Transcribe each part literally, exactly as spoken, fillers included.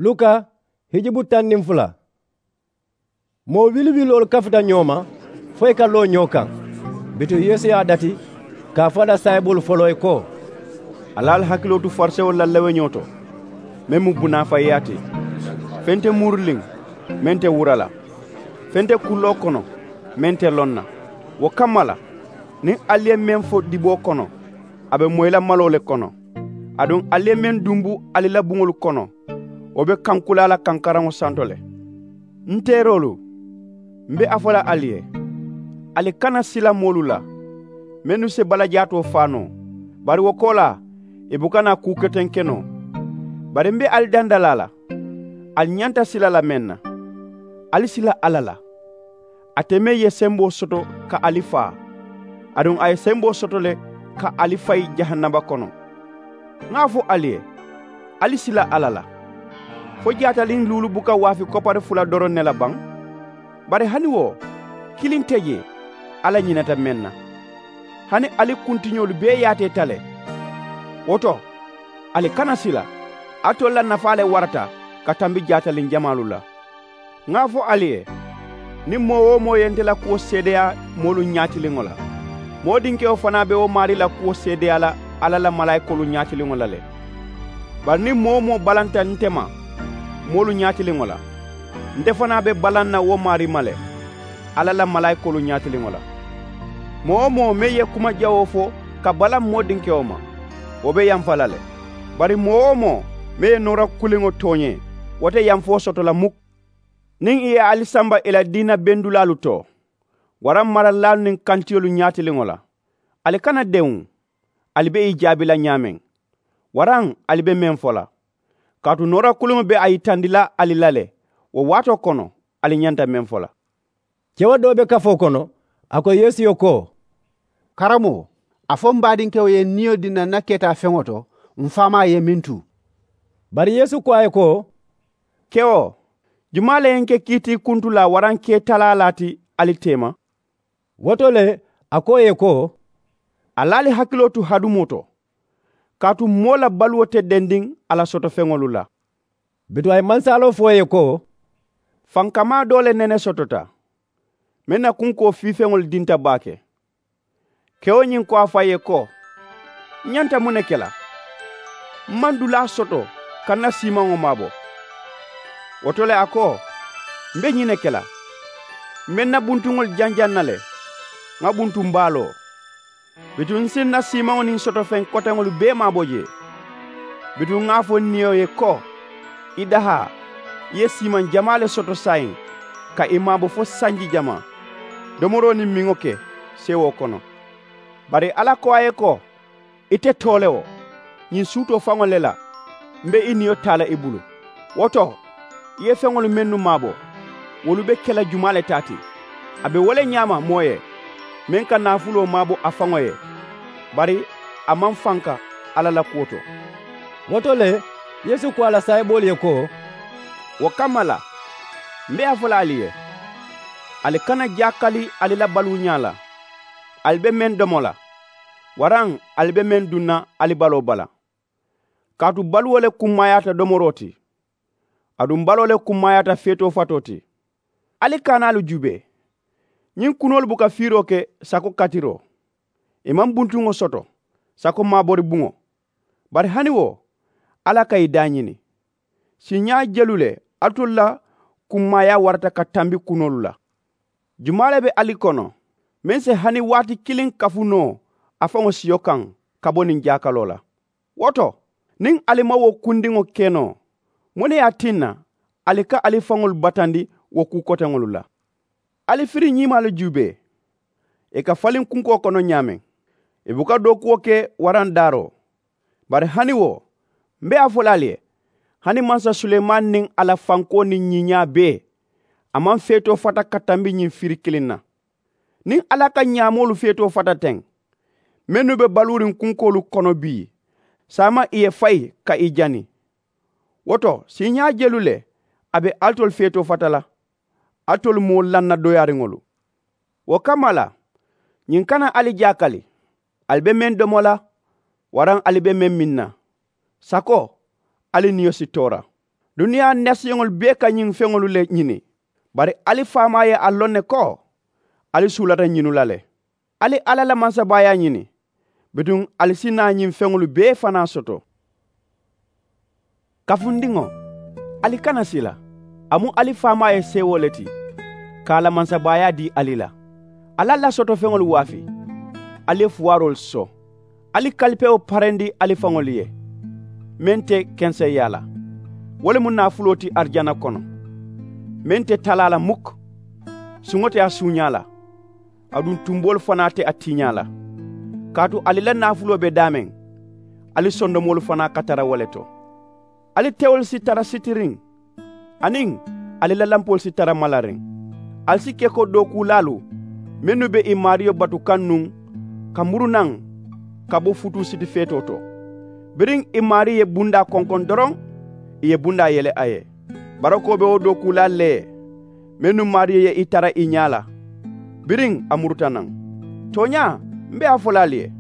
Luka hijubu taŋ niŋ fula. Moo wili wiloolu kafuta ñoo ma fo ì ka loo ñoo kaŋ. Bituŋ yeesu ye a dati ka a fo a la saayiboolu foloo ye ko, ali ali hakiloo tu farisewolu la leweñoo to, meŋ mu bunaafayiyaa ti. Feŋ te muuriliŋ meŋ te wura la, feŋ te kulloo kono meŋ te loŋ na. Wo kamma la, niŋ ali ye meŋ fo diboo kono, a be moyi la maloo le kono. Aduŋ ali ye meŋ dunbu ali la buŋolu kono, wo be kankulaa la kankaraŋo santo le. N teeroolu, m be a fo la ali ye, ali kana sila moolu la mennu si balajaatoo faa noo, bari wo koolaa ì buka naa kuu keteŋ ke noo. Bari m be ali dandalaa la, ali ñanta sila la meŋ na, ali sila alla la. Ate meŋ ye semboo soto ka ali faa, aduŋ a ye semboo soto le ka ali fayi jahannaba kono. Ŋa a fo ali ye, ali sila alla la. Fo jaataliŋ luulu buka waafi koppari fula doroŋ ne la baŋ? Bari hani wo kiliŋ te jee alla ñinata meŋ na. Hani ali kuntiñoolu bee yaatee ta le. Wo to, ali kana sila, alitolu la nafaa le warata ka tambi jaataliŋ jamaalu la. Ŋa a fo ali ye, niŋ moo-wo-moo ye nte la kuwo seedeyaa moolu ñaatiliŋo la, moo dinkewo fanaa be wo maarii la kuwo seedeyaa la alla la malaayikoolu ñaatiliŋo la le. Bari niŋ moo-wo-moo balanta nte ma moolu ñaatiliŋo la, nte fanaa be balaŋ na wo maarii ma le alla la malaayikoolu ñaatiliŋo la. Moo-wo-moo meŋ ye kuma jawoo fo ka balaŋ moo dinkewo ma, wo be yamfa la le. Bari moo-wo-moo meŋ ye noora kuliŋo tooñee, wo te yamfoo soto la muk. Niŋ ì ye ali samba ì la diina bendulaalu to, waraŋ maralilaalu niŋ kantiyolu ñaatiliŋo la, ali kana dewuŋ ali be ì jaabi la ñaameŋ, waraŋ ali be meŋ fo la. Kaatu noora kuliŋo be a yitandi la ali la le, wo waatoo kono ali ñanta meŋ fo la. Kewo doo be kafoo kono, a ko yeesu ye ko, karamoo, a fo m baadinkewo ye n niyo dii n na n na keetaa feŋo to, m faamaa ye meŋ tu. Bari yeesu ko a ye ko, kewo, jumaa le ye n ke kiitiikuntulaa waraŋ keetaalaalaa ti ali teema? Wo to le, a ko ì ye ko, ali ali hakiloo tu hadumoo to, kaatu moo la baluwo te dendiŋ a la sotofeŋolu la. Bituŋ a ye mansaaloo fo ì ye ko, fankamaa doo le nene sotota, meŋ na kunkoo fiifeŋolu dinta baake. Kewo ñiŋ ko a faŋ ye ko, n ñanta muŋ ne ke la? M maŋ dulaa soto ka n na siimaŋo maabo. Wo to le a ko, m be ñiŋ ne ke la, m be n na buntuŋolu janjaŋ na le, ŋa buntuŋ baaloo. Bituŋ n si n na siimaŋo niŋ sotofeŋ koteŋolu bee maabo jee. Bituŋ ŋa a fo n niyo ye ko, i dahaa, i ye siimaŋ jamaa le soto saayiŋ, ka i maabo fo sanji jamaa, domoroo niŋ miŋo ke seewoo kono. Bari alla ko a ye ko, i te too le wo, ñiŋ suutoo faŋo le la m be i niyo taa la i bulu. Wo to, i ye feŋolu mennu maabo, wolu be ke la jumaa le taa ti? A be wo le ñaama moo ye, meŋ ka naafuloo maabo a faŋo ye, bari a maŋ fanka alla la kuwo to. Wo to le, yeesu ko a la saayiboolu ye ko, wo kamma la, m be a fo la ali ye, ali kana jaakali ali la baluuñaa la, ali be meŋ domo la, waraŋ ali be meŋ duŋ na ali baloo bala. Kaatu baluwo le kummaayaata domoroo ti, aduŋ baloo le kummaayaata feetoo fatoo ti. Ali kaanaalu juubee, ñiŋ kunoolu buka fiiroo ke sako katiroo, ì maŋ buntuŋo soto sako maabori buŋo. Bari hani wo, alla ka ì daañini. Siiñaa jelu le alitolu la kummaayaa warata ka tambi kunoolu la? Jumaa le be ali kono meŋ si hani waati kiliŋ kafu noo a faŋo siyo kaŋ ka bo niŋ jaakaloo la? Wo to, niŋ ali maŋ wo kundiŋo ke noo, muŋ ne ye a tinna ali ka ali faŋolu batandi wo kuu koteŋolu la? Ali firiñiimaalu juubee, ì ka faliŋ kunkoo kono ñaameŋ, ì buka dookuwo ke waraŋ daaroo. Bari hani wo, m be a fo la ali ye, hani mansa suleemaani niŋ a la fankoo niŋ ñiiñaa bee, a maŋ feetoo fata ka tambi ñiŋ firi kiliŋ na. Niŋ alla ka ñaamoolu feetoo fata teŋ, mennu be baluuriŋ kunkoolu kono bii, saama ì ye fayi ka ì jani. Wo to, siiñaa jelu le a be alitolu feetoo fata la, alitolu moo lanna dooyaariŋolu? Wo kamma la, ñiŋ kana ali jaakali, ali be meŋ domo la, waraŋ ali be meŋ miŋ na? Sako, ali niyo si toora. Duniyaa nasiyoŋolu bee ka ñiŋ feŋolu le ñini. Bari ali faamaa ye a loŋ ne ko ali suulata ñinu la le. Ali alla la mansabaayaa ñini, bituŋ ali si naa ñiŋ feŋolu bee fanaa soto. Kafundiŋo, ali kana sila. A mu ali faamaa ye seewoo le ti ka a la mansabaayaa dii ali la. Ali a la sotofeŋolu waafi. Ali ye fuwaaroolu soo. Ali kalipewo parendi ali faŋolu ye, meŋ te kenseyaa la. Wo le mu naafuloo ti arijana kono, meŋ te talaa la mukk. Suŋo te a suuñaa la, aduŋ tumboolu fanaa te a tiiñaa la. Kaatu ali la naafuloo be daameŋ, ali sondomoolu fanaa ka tara wo le to. Ali tewolu si tara sitiriŋ, aniŋ ali la lampoolu si tara malariŋ. Ali si ke ko dookuulaalu mennu be ì maariyo batu kaŋ nuŋ, ka muru naŋ ka bo futuu sitifeetoo to. Biriŋ ì maarii ye bundaa konkoŋ doroŋ, ì ye bundaa yele a ye. Barako be wo dookuulaalu le ye mennu maariyo ye ì tara ì ñaa la. Biriŋ a muruta naŋ. Tooñaa, m be a fo la ali ye,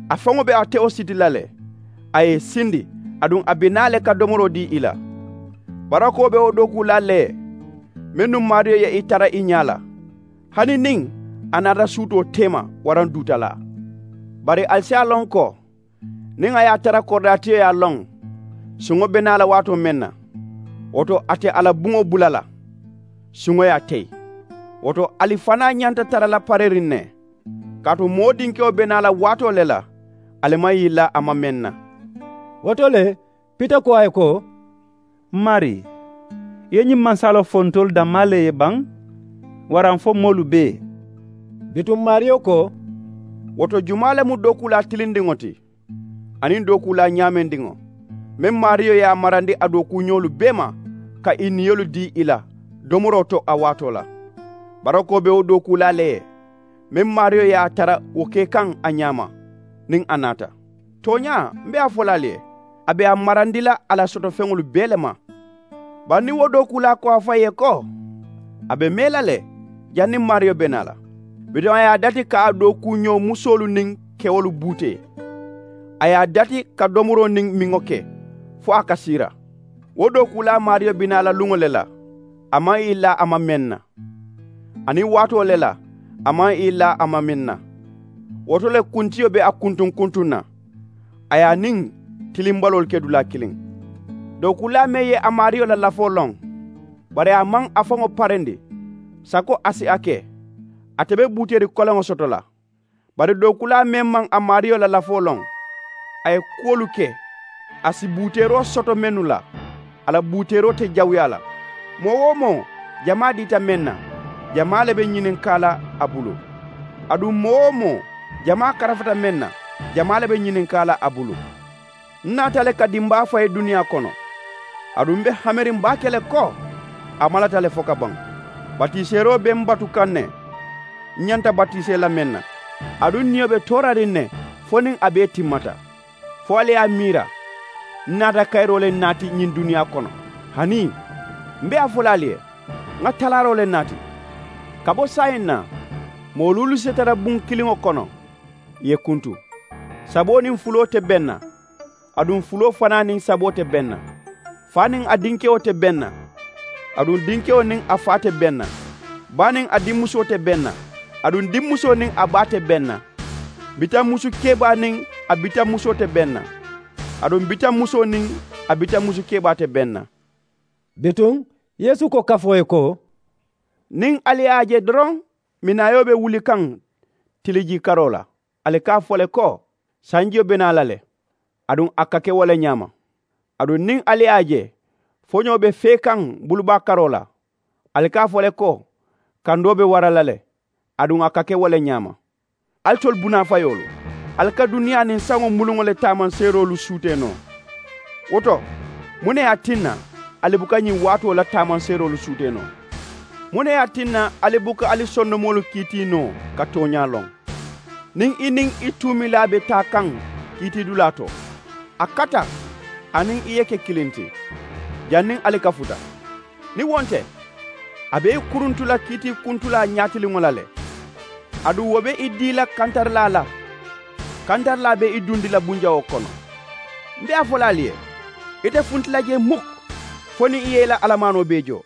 a faŋo be a tewo siti la le. A ye ì sindi, aduŋ a be naa le ka domoroo dii ì la. Barako be wo dookuulaalu le ye mennu maariyo ye ì tara ì ñaa la, hani niŋ a naata suutoo teema waraŋ duutalaa. Bari ali si a loŋ ko niŋ a ye a tara koridaatiyo ye a loŋ suŋo be naa la waatoo meŋ na, wo to a te a la buŋo bula la, suŋo ye a teyi. Wo to ali fanaa ñanta tara la pareriŋ ne. Kaatu moo dinkewo be naa la waatoo le la, ali maŋ yilla a ma meŋ na. Wo to le, pita ko a ye ko, m maarii, i ye ñiŋ mansaaloo fo ntolu dammaa le ye baŋ, waraŋ fo moolu bee? Bituŋ maariyo ko, wo to jumaa le mu dookuulaa tilindiŋo ti, aniŋ dookuulaa ñaamendiŋo, meŋ maariyo ye a marandi a dookuuñoolu bee ma, ka ì niyolu dii ì la domoroo to a waatoo la? Barako be wo dookuulaa le ye meŋ maariyo ye a tara wo ke kaŋ a ñaama, niŋ a naata. Tooñaa, m be a fo la ali ye, a be a marandi la a la sotofeŋolu bee le ma. Bari niŋ wo dookuulaa ko a faŋ ye ko a be mee la le, janniŋ maariyo be naa la, bituŋ a ye a dati ka a dookuuñoo musoolu niŋ kewolu buutee. A ye a dati ka domoroo niŋ miŋo ke fo a ka siira. Wo dookuulaa maariyo be naa la luŋo le la, a maŋ ì laa a ma meŋ na, aniŋ waatoo le la, a maŋ ì laa a ma meŋ na. Wo to le kuntiyo be a kuntuŋ kuntuŋ na, a ye a niŋ tilimbaloolu ke dulaa kiliŋ. Dookuulaa meŋ ye a maariyo la lafoo loŋ, bari a maŋ a faŋo parendi, sako a si a ke, ate be buuteeri koleŋo soto la. Bari dookuulaa meŋ maŋ a maariyo la lafoo loŋ, a ye kuwolu ke, a si buuteeroo soto mennu la, a la buuteeroo te jawuyaa la. Moo-wo-moo jamaa diita meŋ na, jamaa le be ñininkaa la a bulu. Aduŋ moo-wo-moo jamaa karafata meŋ na, jamaa le be ñininkaa la a bulu. N naata le ka dimbaa fayi duniyaa kono, aduŋ m be hameriŋ baake le ko a malata le fo ka baŋ. Batiiseeroo be m batu kaŋ ne, m ñanta batiisee la meŋ na, aduŋ n niyo be toorariŋ ne fo niŋ a bee timmata. Fo ali ye a miira, n naata kayiroo le naati ñiŋ duniyaa kono. Hanii, m be a fo la ali ye, ŋa talaaroo le naati. Ka bo saayiŋ na, moo luulu si tara buŋ kiliŋo kono, ì ye kuntu. Saboo niŋ fuloo te beŋ na, aduŋ fuloo fanaa niŋ saboo te beŋ na. Faa niŋ a dinkewo te beŋ na, aduŋ dinkewo niŋ a faa te beŋ na. Baa niŋ a dimmusoo te beŋ na, aduŋ dimmusoo niŋ a baa te beŋ na. Bitaŋ musu kebaa niŋ a bitaŋ musoo te beŋ na, aduŋ bitaŋ musoo niŋ a bitaŋ musu kebaa te beŋ na. Bituŋ yeesu ko kafoo ye ko, niŋ ali ye a je doroŋ, minaayoo be wuli kaŋ tilijii karoo la, ali ka a fo le ko, sanjiyo be naa la le. Aduŋ a ka ke wo le ñaama. Aduŋ niŋ ali ye a je foñoo be fee kaŋ bulubaa karoo la, ali ka a fo le ko, kandoo be wara la le. Aduŋ a ka ke wo le ñaama. Alitolu bunaafayoolu, ali ka duniyaa niŋ saŋo muluŋo le taamanseeroolu suutee noo. Wo to, muŋ ne ye a tinna ali buka ñiŋ waatoo la taamanseeroolu suutee noo? Muŋ ne ye a tinna ali buka ali sondomoolu kiitii noo ka tooñaa loŋ? Niŋ i niŋ i tuumilaa be taa kaŋ kiitiidulaa to, a kata a niŋ i ye ke kiliŋ ti, janniŋ ali kafuta. Niŋ wo nte, a be i kuruntu la kiitiikuntulaa ñaatiliŋo la le. Aduŋ wo be i dii la kantarilaa la, kantarilaa be i dundi la bunjawoo kono. M be a fo la ali ye, ite funti la jee muk. fo niŋ i ye i la alamaanoo bee joo.